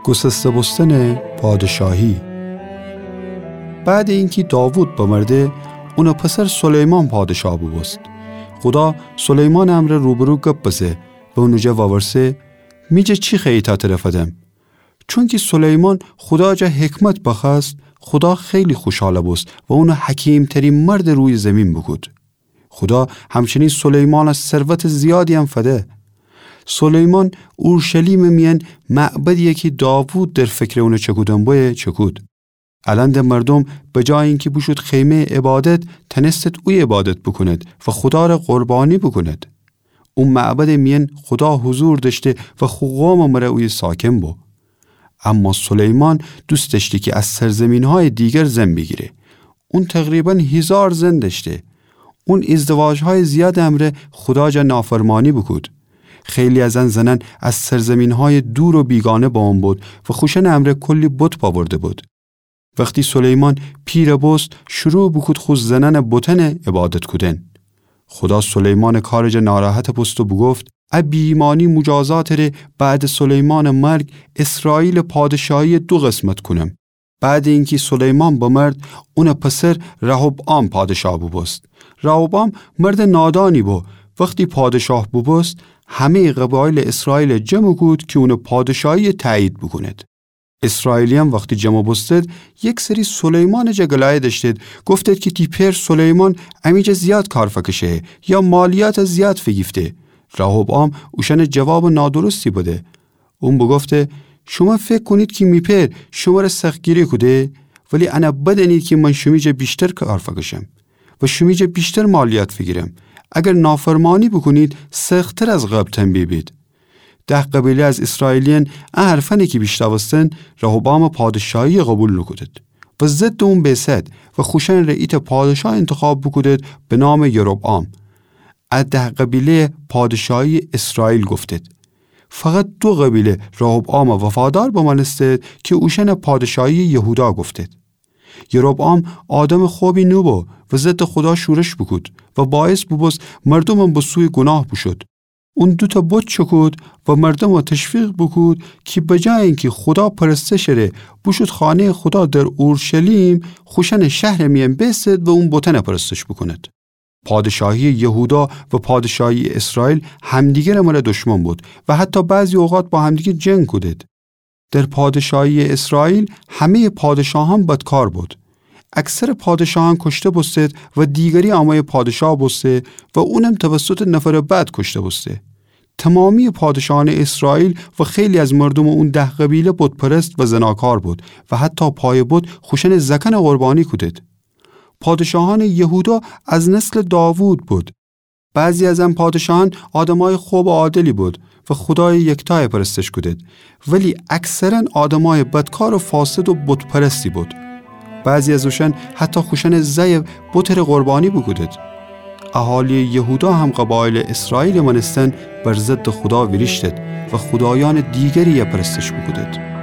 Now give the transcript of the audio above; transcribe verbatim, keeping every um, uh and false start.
گسسته بوستنٚ پادشاهی. بعدٚ اینکی داوود بمرده، اونٚ پسر سلیمان پادشاه بوبوست. خودا سلیمانٚ امرأ روبرو گپ بزه و اونٚ جا وورسه: می جا چی خوأیی تا تره فدم؟ چونکی سلیمان خودا جا حکمت بخوأست، خودا خیلی خوشحال بوست و اونٚ حکیم‌ترین مردٚ رویٚ زیمین بوکود. خودا همچنین سلیمانَ ثروتٚ زیادی‌یم فده. سلیمان اورشلیمٚ میأن معبدی‌یی کی داوود در فکرٚ اونٚ چکودن بویه، چکود. الأن ده مردوم به جای اینکی بوشود خیمه‌یٚ عبادت، تأنستد اویه عبادت بوکوند و خودا ره قربانی بوکوند. او معبدٚ میأن خودا حضور دأشته و خو قومٚ مره اویه ساکن بو. اما سلیمان دوست دأشته کی از سرزیمین‌هایٚ دیگر زن بیگیره. اون تقریباً هیزار زن دأشته. اون ازدواج‌هایٚ زیادٚ امرأ خودا جا نافرمانی بوکود. خیلی از ان زنأن از سرزیمین‌هایٚ دور و بیگانه بمو بود و خوشأنٚ امرأ کلی بت بأورده بود. وختی سلیمان پیر بوست، شروع بوکود خو زنأنٚ بتأنَ عبادت کودن. خودا سلیمانٚ کارٚ جا ناراحت بوست و بوگفت: ا بی‌ایمانی موجازاتٚ ره بعدٚ سلیمانٚ مرگ اسرائیلٚ پادشاهی‌یَ دو قسمت کونم. بعدٚ اینکی سلیمان بمرد، اونٚ پسر رهبعام پادشاه بوبوست. رهبعام مردٚ نادانی بو. وختی پادشاه بوبوست، همه‌یٚ قبایلٚ اسرائیلَ جمع کود کی اونٚ پادشاهی‌یَ تأیید بوکوند. اسرائیلیأن وختی جمع بوستد، یکسری سلیمانٚ جا گلایه دأشتید، گفتید کی تی پئر سلیمان امی جا زیاد کار فکشه، یا مالیاتَ زیاد فیگیفته. رهبعام اوشأنَ جوابٚ نادرستی بده. اون بوگفته: شومأن فکر کونید کی می پئر شمره سختگیری کوده، ولی انَ بدأنید کی من شیمی جا ویشتر کار فکشم و شیمی جا ویشتر مالیات فیگیرم. اگر نافرمانی بوکونید، سخت‌تر از قبل تنبیه بید. ده قبیله از اسرائیلیأن ا حرفأنَ کی بیشنوستن، رهبعامٚ پادشاهی‌یَ قوبیل نوکودید و ضدٚ اون بیسد و خوشأنٚ ره ایتأ پادشاه اینتخاب بوکودید به نامٚ یربعام. ا ده قبیله‌یَ پادشاهی‌یٚ اسرائیل گفتید. فقط دو قبیله رهبعامَ وفادار بمأنستید کی اوشأنَ پادشاهی‌یٚ یهودا گفتید. یربعام آدمٚ خوبی نوبو و ضدٚ خودا شورش بوکود و باعث بوبوست مردومم به سویٚ گوناه بوشود. اون دوتأ بت چکود و مردومَ تشویق بوکود کی به جای اینکی خودا پرستشٚ ره بوشود خانه‌یٚ خودا در اورشلیم، خوشأنٚ شهرٚ میأن بیسد و اون بتأنَ پرستش بوکوند. پادشاهی‌یٚ یهودا و پادشاهی‌یٚ اسرائیل همدیگرٚ مره دشمن بود و حتی بعضی اوقات با همدیگر جنگ کودید. در پادشاهی‌یٚ اسرائیل همه‌یٚ پادشاهأن بدکار بود. اکثرٚ پادشاهأن کشته بوستید و دیگری اموی پادشاه بوسته و اونم توسطٚ نفرٚ بد کشته بوسته. تمامی‌یٚ پادشاهأنٚ اسرائیل و خیلی از مردومٚ اون ده قبیله بت‌پرست و زناکار بود و حتی پایٚ بت خوشأنٚ زأکأنَ قربانی کودید. پادشاهأنٚ یهودا از نسلٚ داوود بود. بعضی از ان پادشاهأن آدمأیٚ خوب و عادلی بود و خودایٚ یکتایَ پرستش کودید، ولی اکثراً آدمأیٚ بدکار و فاسد و بت‌پرستی بود. بعضی از اوشأن حتی خوشأنٚ زأیَ بتٚ ره قربانی بوکودید. اهالی‌یٚ یهودا هم قبایلٚ اسرائیلٚ مأنستن بر ضدٚ خودا ویریشتید و خودایأنٚ دیگری‌یَ پرستش بوکودید.